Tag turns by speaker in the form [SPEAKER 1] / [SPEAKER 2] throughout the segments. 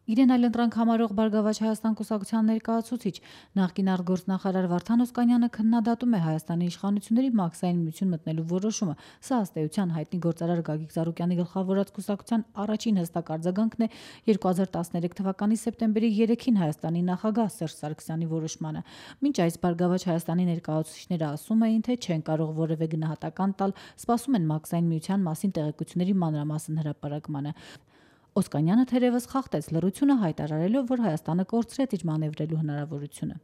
[SPEAKER 1] Իրեն այլընտրանք համարող Բարգավաճ Հայաստան կուսակցության ներկայացուցիչ նախկին արտգործնախարար Վարդան Օսկանյանը քննադատում է Հայաստանի իշխանությունների մաքսային միություն մտնելու որոշումը։ Սա ըստ էության հայտնի գործարար Գագիկ Ծառուկյանի գլխավորած կուսակցության առաջին հստակ արձագանքն է 2013 թվականի սեպտեմբերի 3-ին Հայաստանի նախագահ Սերժ Սարգսյանի որոշմանը։ Մինչ այս Բարգավաճ Հայաստանի ներկայացուցիչները ասում էին, թե չեն կարող որևէ գնահատական տալ, սպասում են մաքսային միության մասին տեղեկությունների մանրամասն հրապարակմանը։ Օսկանյանը թերևս խախտեց լռությունը հայտարարելով, որ Հայաստանը կորցրեց իր մանևրելու հնարավորությունը։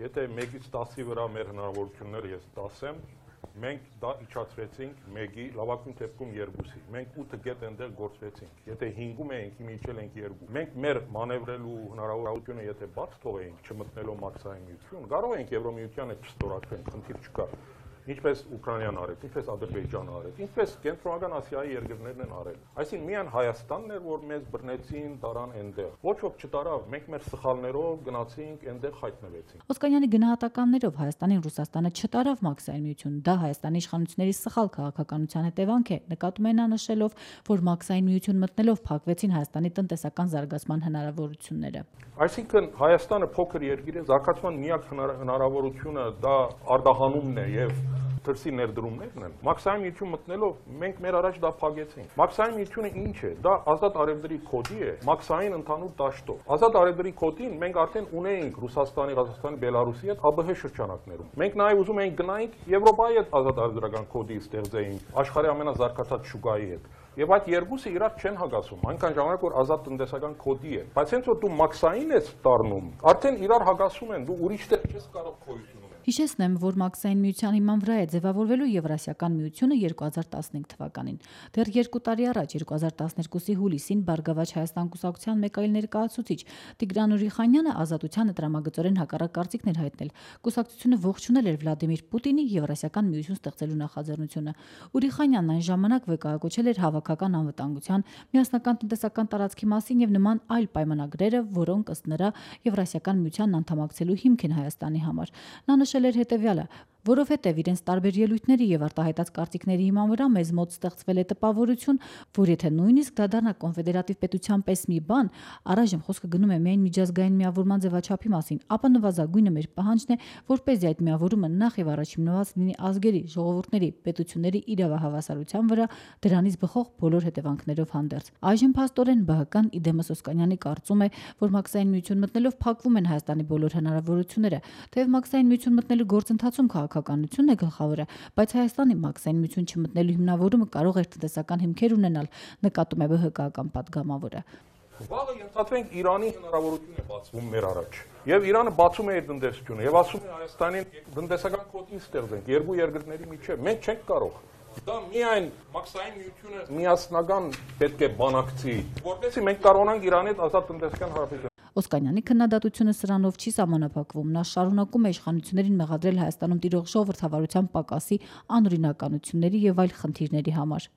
[SPEAKER 2] Եթե 1-ից 10-ի վրա մեր հնարավորությունները ես 10 եմ, մենք դա իջացրեցինք 1-ի, լավագույն դեպքում 2-ի։ Մենք 8 գետ այնտեղ գործվեցինք։ Եթե 5-ում էինք, իջել ենք 2։ Մենք մեր մանևրելու հնարավորությունը եթե բաց թողեինք, չմտնելով մաքսային միություն, կարող ենք Եվրոմիության հետ չստորագրենք, խնդիր չկա։ Ինչպես Ուկրաինան արեց, ինչպես Ադրբեջանը արեց, ինչպես Կենտրոնական Ասիայի երկրներն են արել։ Այսինքն միայն Հայաստանն էր, որ մեզ բռնեցին, տարան այնտեղ։ Ոչ ոք չտարավ, մենք մեր սխալներով գնացինք, այնտեղ հայտնվեցինք։
[SPEAKER 1] Օսկանյանի գնահատականներով Հայաստանին Ռուսաստանը չտարավ մաքսային միություն, դա Հայաստանի իշխանությունների սխալ քաղաքականության հետևանք է, նկատում է նա նշելով, որ մաքսային միություն մտնելով փակվեցին Հայաստանի տնտեսական զարգացման հնարավորությունները։
[SPEAKER 2] Այսինքն Հայաստանը փոքր երկիր է, զարգացման միակ հնարավորությունը դա արտահանումն է եւ դրսի ներդրումներն են։ Մաքսային միություն մտնելով մենք մեր առաջ դա փակեցինք։ Մաքսային միությունը ինչ է։ Դա ազատ արևդրի կոդի է, մաքսային ընդհանուր դաշտով։ Ազատ արևդրի կոդին մենք արդեն ունեինք Ռուսաստանի, Ղազախստանի, Բելարուսի հետ ԱԲՀ շրջանակներում։ Մենք նաև ուզում էինք գնայինք Եվրոպայի հետ ազատ արևդրական կոդի ստեղծեինք, աշխարհի ամենազարգացած շուկայի հետ։ Եվ այդ երկուսը իրար չեն հագասում, այնքան ժամանակ որ ազատ տնտեսական կոդի է։ Բայց հենց որ դու մաքսային ես դառնում, արդեն իրար հագասում են, դու ուրիշ տեղ չես կարող քոյություն ունենալ։
[SPEAKER 1] Հիշեցնեմ, որ մաքսային միության հիման վրա է ձևավորվելու Եվրասիական միությունը 2015 թվականին։ Դեռ 2 տարի առաջ 2012-ի հուլիսին Բարգավաճ Հայաստան կուսակցության մեկ այլ ներկայացուցիչ Տիգրան Ուրիխանյանը Ազատությանը տրամագծորեն հակառակ կարծիքներ հայտնել։ Կուսակցությունը ողջունել էր Վլադիմիր Պուտինի Եվրասիական միություն ստեղծելու նախաձեռնությունը։ Ուրիխանյանն այն ժամանակ վկայակոչել էր հավաքական անվտանգության, միասնական տնտեսական տարածքի մասին եւ նման այլ պայմանագրերը, որոնք ըստ նրա Եվրասիական միությանն անդամակցելու հիմք են Հայաստանի համար։ Նա նշել էր հետևյալը. որովհետև իրենց տարբեր ելույթների եւ արտահայտած կարծիքների հիման վրա մեզ մոտ ստեղծվել է տպավորություն, որ եթե նույնիսկ դա դառնա կոնֆեդերատիվ պետության պես մի բան, առայժմ խոսքը գնում է միայն միջազգային միավորման ձևաչափի մասին, ապա նվազագույնը մեր պահանջն է, որպեսզի այդ միավորումը նախ եւ առաջ հիմնված լինի ազգերի, ժողովուրդների, պետությունների իրավահավասարության վրա, դրանից բխող բոլոր հետևանքներով հանդերձ։ Այժմ փաստորեն ԲՀԿ-ն իդեմս Օսկանյանի կարծում է, որ մաքսային միություն մտնելով փակվում են Հայաստանի բոլոր հնարավորությունները, թեև մաքսային միություն մտնելու գործընթացում քաղաքականությունն է գլխավորը, բայց Հայաստանի մաքսային միություն չմտնելու հիմնավորումը կարող է տնտեսական հիմքեր ունենալ, նկատում է ԲՀԿ-ական պատգամավորը։
[SPEAKER 2] Վաղը ենթադրենք Իրանի հնարավորություն է բացվում մեր առաջ։ Եվ Իրանը բացում է իր տնտեսությունը եւ ասում է Հայաստանին տնտեսական կոդի ստեղծենք երկու երկրների միջեւ։ Մենք չենք կարող։ Դա միայն մաքսային միությունը միասնական պետք է բանակցի, որովհետեւ մենք կարողանանք Իրանի հետ ազատ տնտեսական հարաբերություն։
[SPEAKER 1] Օսկանյանի քննադատությունը սրանով չի սահմանափակվում, նա շարունակում է իշխանություններին մեղադրել Հայաստանում տիրող ժողովրդավարության պակասի, անօրինականությունների եւ այլ խնդիրների համար։